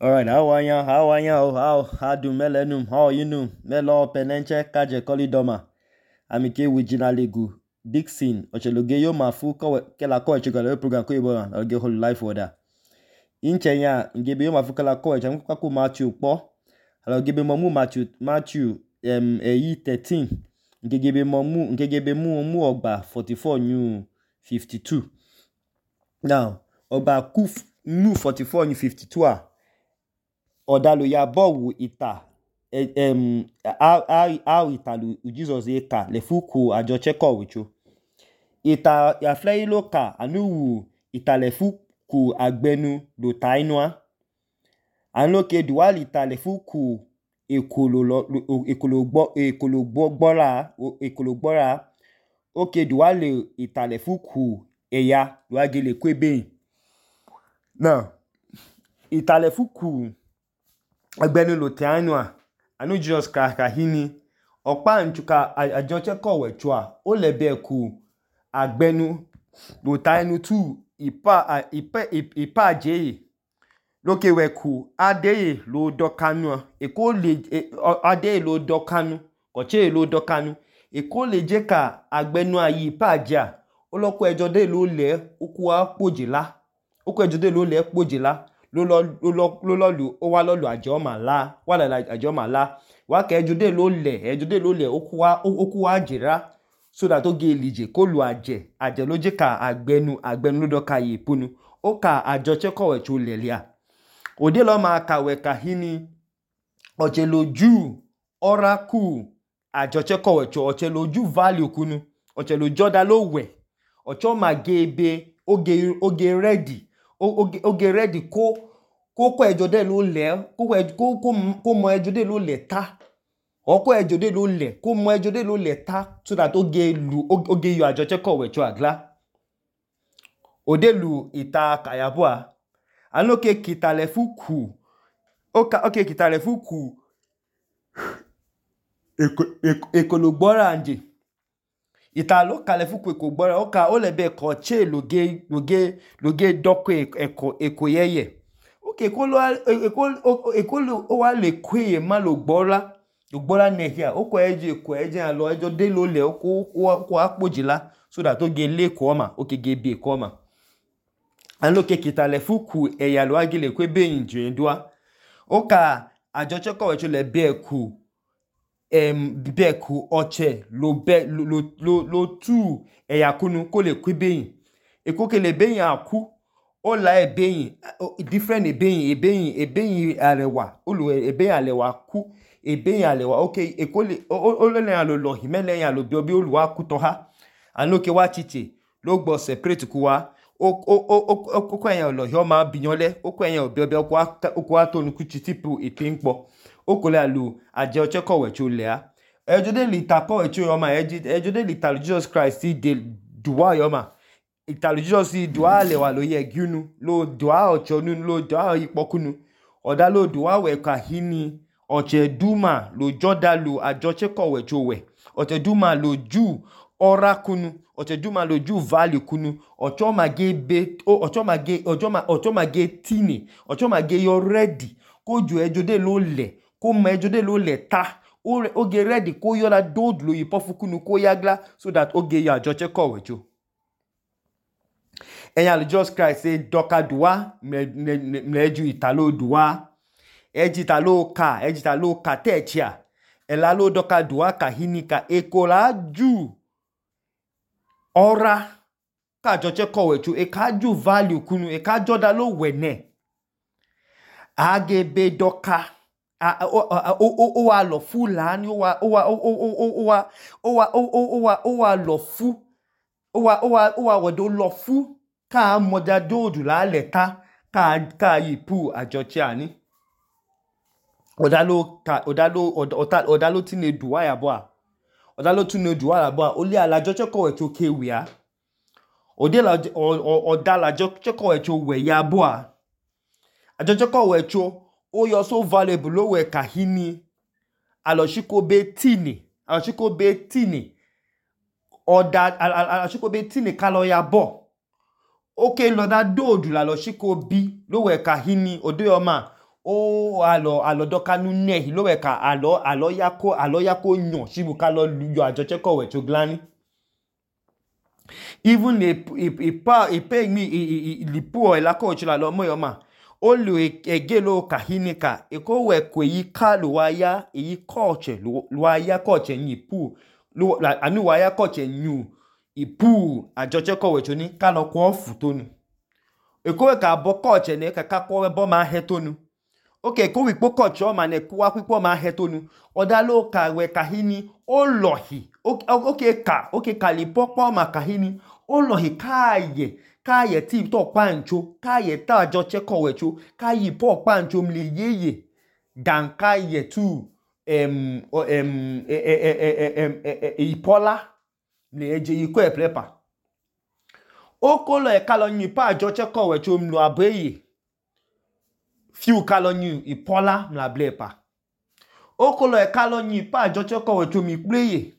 Alright, how are you? How do melenum? How are you know? Melo penenche kaje kolidoma. Amike wijina legu Dixon ocheloge yo mafu kela ko echigala program ko ibo oge whole life order. Inche ya ngebe yo mafu kela ko echem kwa Matthew po. Alo gebe momu Matthew 13. Ngegebe mu ogba 44 new 52. Now, ogba kuf new 44 new 52 a Odalo ya bowu ita how italu Jesus eka lefuku ajo cheko wicho ita ya flei loka anu ita lefuku agbenu do tainwa anloke dual ita lefuku ekologbora oke dual ita lefuku eya duagele kwebe now ita lefuku agbenu lo tainwa anu Jesus kahini okpa nchuka ajoche kowechwa o lebe ku agbenu lo tainu tu ipa je loke weku adeye lo dokanu eko le adeye lo dokanu koche lo dokanu eko le je ka agbenu ayi ipa ja oloko ejode lo le oku apojila oku ejode lo le pojila lolu o wa lolu ajo mala wala ajo mala wa ke ejode lo le oku wa jira so that oge elije ko lu aje lo je ka agbenu lo doka yi punu o ka ajo cheko chu lelia ode lo ma ka we ka hini oche loju oracle ajo cheko chu oche loju value kunu oche lo joda lo we ocho ma gebe oge ready oge ready ko ejode lo le ko mo ejode lo le ta oko ejode lo le ko mo ejode lo le ta so that oge yo ajo cheko we chu agla odelu ita kayabua anoke kitalefuku oke kitalefuku ekologbora anje italo kalefuku ekogbora oka olebe ko che loge doko ekoyeye oke ekolo o wa le kwe ma logbora nehia oko eje alo ejo de lo le ko apojila so that oge le ko ma oke gebe ko ma anoke kitalefuku eyalo agile kwebe inje ndua oka ajoche ko wecho le beku oche lo tu eyakunu ko le kwebeyin ekoke le beyin aku o la ebeyin different ebeyin arewa olu ebeyin alewa ku ebeyin alewa okay ekole olele alo lo himele yan lo bi oluwa ku to ha anoke wa chiche lo gbo separate ku wa oko eyan lo yo ma biyanle oko eyan obi oko atonu ku chitipu ipinpo okole alu aje oche kowe chu le a ejode lita kowe chu yo ma ejode lita Jesus Christ de duwa yo ma italu Jesus duwa le wa lo ye gunu lo duwa ocho nu lo duwa ipokunu oda lo duwa we ka hini oche duma lo joda lu ajoche kowe chu we oche duma lo ju orakunu oche duma lo ju value kunu ocho mage tini ocho mage yo ready ko ju ejode lo le ko mo ejode lo le ta oge ready ko yo la dod lo yipofukunu ko yagla so that oge yo ajoche kowe chu eyan Jesus Christ say doka duwa mleju italo duwa ejitalo ka techia elalo doka duwa ka hinika ekola ju ora ka joche kowe chu ekaju value kunu ekajoda lo wene agebe doka o wa lo fu lani o wa lo fu o wa wodo lo fu ka moja dodu la leta ka yipu ajoche ani odalo tine duwa ya boa odalo tine duwa ya boa oli ala joche kowe chu kewia odala joche kowe chu we ya boa ajoche kowe chu o yo so valuable lo we kahini aloshiko be tini oda aloshiko be tini kalo ya bo oke lo da dodu la loshiko bi lo we kahini odo yo ma alo doka nu nehi lo we ka alo yako nyon shibu kalo yo ajoche ko we choglani. Even ipe mi lipu elako chula lo mo yoma olu egelo kahini ka eko we kwe yi ka lo waya yi koche lo waya koche ni pu lo anu waya koche nyu ipu ajoche ko we choni ka lo kwa futonu eko we ka bo koche ne ka kwa bo ma hetonu okay ko wi po koche o ma ne kwa pipo ma hetonu odalo ka we kahini olohi okay ka lipo po ma kahini olohi kaye ti to pancho kaye ta ajoche ko we cho kayi po pancho mle yeye dan kaye tu ipola le eje yiko eplepa okolo e kalo nyi pa ajoche ko we cho mlo abeye fiu kalo nyi ipola mla blepa okolo e kalo nyi pa ajoche ko we cho mi pleye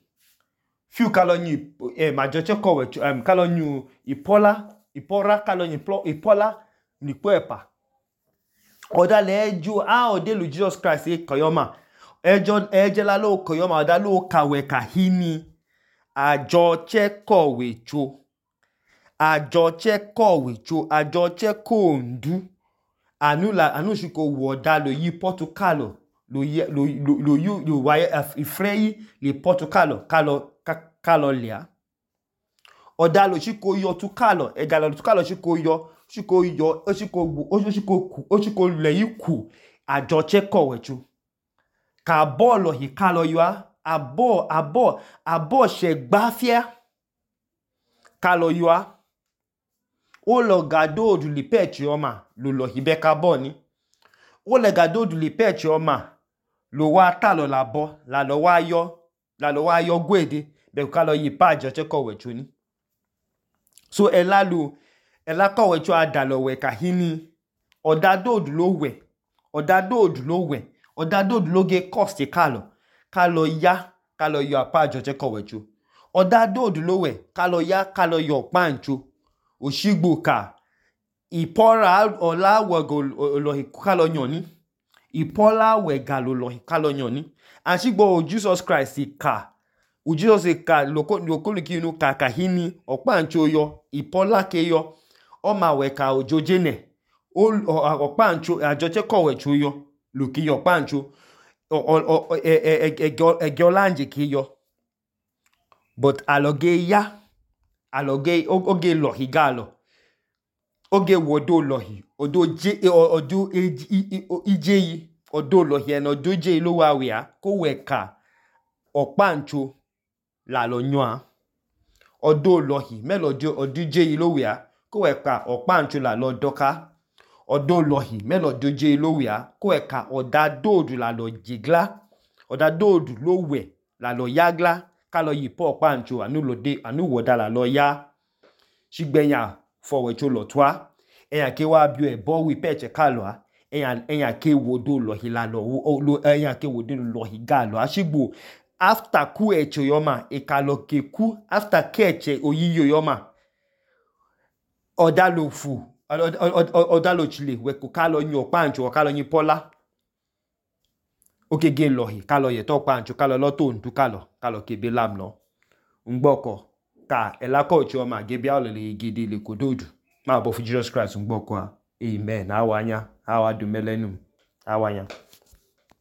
fiu kalo nyi ajoche ko we cho kalo nyi ipora kalo nyi ipola ni kwepa oda le eju odelu Jesus Christ e koyoma ejela lo koyoma oda lo kawe kahini ajoche ko we cho ajoche ko ndu anu shiko woda lo yi Portugal lo waya ifreyi le Portugal kalo lia oda lo shiko yo tukalo egalo tukalo shiko le yiku ajoche ko we cho ka bolo hi kalo yo abo she gbafia kalo yo o lo gado du li pechi oma lo hibe carboni o le gado du li pechi oma lo wa talo labo la lo wa yo gwede be kalo yi pa ajoche ko we cho ni so ela ko we cho adalo we kahini odadodu lo ge cost kalo yo apa ajoche ko we cho odadodu lo we kalo yo pancho oshigbo ka ipora ola wego lo kalo nyoni ipola wega lo kalo nyoni ashigbo Jesus Christ ka lokolu ki nu ka kahini opancho yo ipola ke yo o ma we ka ojojene opancho ajoche ko we cho yo lo ki yo pancho egolanje ki yo but aloge oge lohi galo oge wodo lohi odo ijeyi odo lohi en odo je lo wa we ko we ka opancho la lo nyoa odo lohi melojo odije lo we ko we ka opancho la lo doka odo lohi melojo je lo we ko we ka odadodu la lo jigla odadodu lo we la lo yagla kalo yi po pancho anu woda la lo ya shigbenya fo we cho lo twa eyan ke wa bi e bo wi peche kalo eyan ke wodo lohi la lo eyan ke wodo lohi galo ashigbo after ku echo yoma ekalo ke ku after keche oyiyo yoma odalo fu odalo chile we ko kalo nyo pancho kalo nyi pola okege lohi kalo ye to pancho kalo lo to ndu kalo kebe lam no ngboko ka elako chioma gebia olele gidi le kododu ma bo fu Jesus Christ ngboko amen awanya awadumelenum awanya